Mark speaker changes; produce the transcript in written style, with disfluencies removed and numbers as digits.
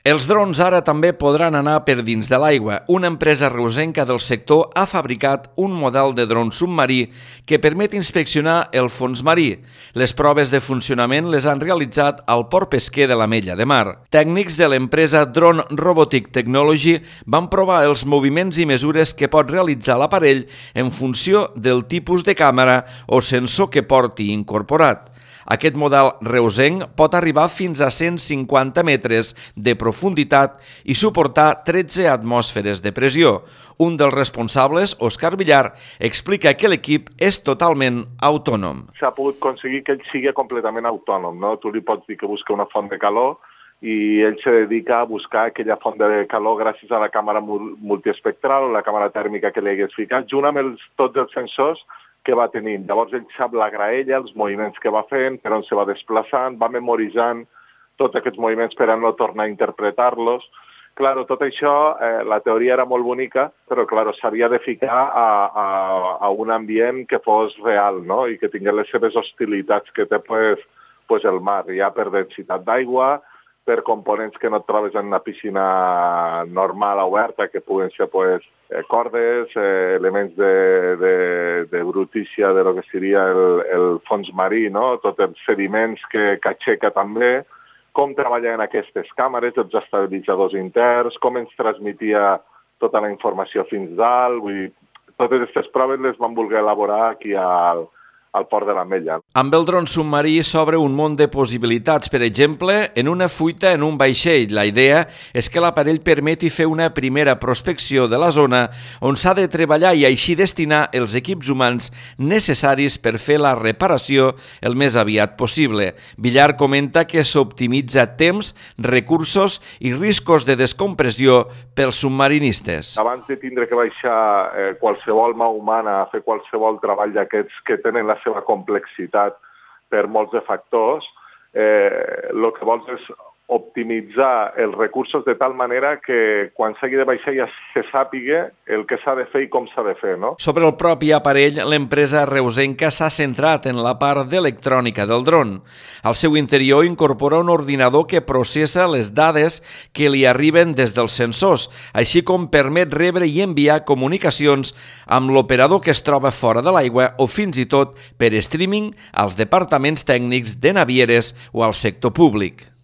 Speaker 1: Els drons ara també podran anar per dins de l'aigua. Una empresa reusenca del sector ha fabricat un model de dron submarí que permet inspeccionar el fons marí. Les proves de funcionament les han realitzat al port pesquer de l'Ametlla de Mar. Tècnics de l'empresa Drone Robotic Technology van provar els moviments i mesures que pot realitzar l'aparell en funció del tipus de càmera o sensor que porti incorporat. Aquest model reusenc pot arribar fins a 150 metres de profunditat i suportar 13 atmosferes de pressió. Un dels responsables, Òscar Villar, explica que l'equip és totalment autònom.
Speaker 2: S'ha pogut aconseguir que ell sigui completament autònom, no? Tu li pots dir que busca una font de calor i ell se dedica a buscar aquella font de calor gràcies a la càmera multiespectral o la càmera tèrmica que li hagués ficat, junt amb tots els sensors que va tenint. Llavors ell sap la graella, els moviments que va fent, per on se va desplaçant, va memoritzant tots aquests moviments per a no tornar a interpretar-los. Claro, tot això, la teoria era molt bonica, però claro, s'havia de ficar a un ambient que fos real, no? I que tingués les seves hostilitats que té pues, el mar, ja per densitat d'aigua, per components que no et trobes en una piscina normal oberta, que puguen ser pues, cordes, elements de brutícia de lo que seria el fons marí, no? Tots els sediments que aixeca també, com treballar en aquestes càmeres, els estabilitzadors interns, com ens transmetia tota la informació fins dalt. Vull dir, totes aquestes proves les vam voler elaborar aquí al port de l'Ametlla.
Speaker 1: Amb el dron submarí s'obre un món de possibilitats, per exemple, en una fuita en un vaixell. La idea és que l'aparell permeti fer una primera prospecció de la zona on s'ha de treballar i així destinar els equips humans necessaris per fer la reparació el més aviat possible. Villar comenta que s'optimitza temps, recursos i riscos de descompressió pels submarinistes.
Speaker 2: Abans de tindre que baixar qualsevol mà humana a fer qualsevol treball d'aquests que tenen la seva complexitat per molts de factors, el que vols és optimitzar els recursos de tal manera que quan s'hagi de baixar ja se sàpiga el que s'ha de fer i com s'ha de fer, no?
Speaker 1: Sobre el propi aparell, l'empresa reusenca s'ha centrat en la part d'electrònica del dron. Al seu interior incorpora un ordinador que processa les dades que li arriben des dels sensors, així com permet rebre i enviar comunicacions amb l'operador que es troba fora de l'aigua o fins i tot per streaming als departaments tècnics de navieres o al sector públic.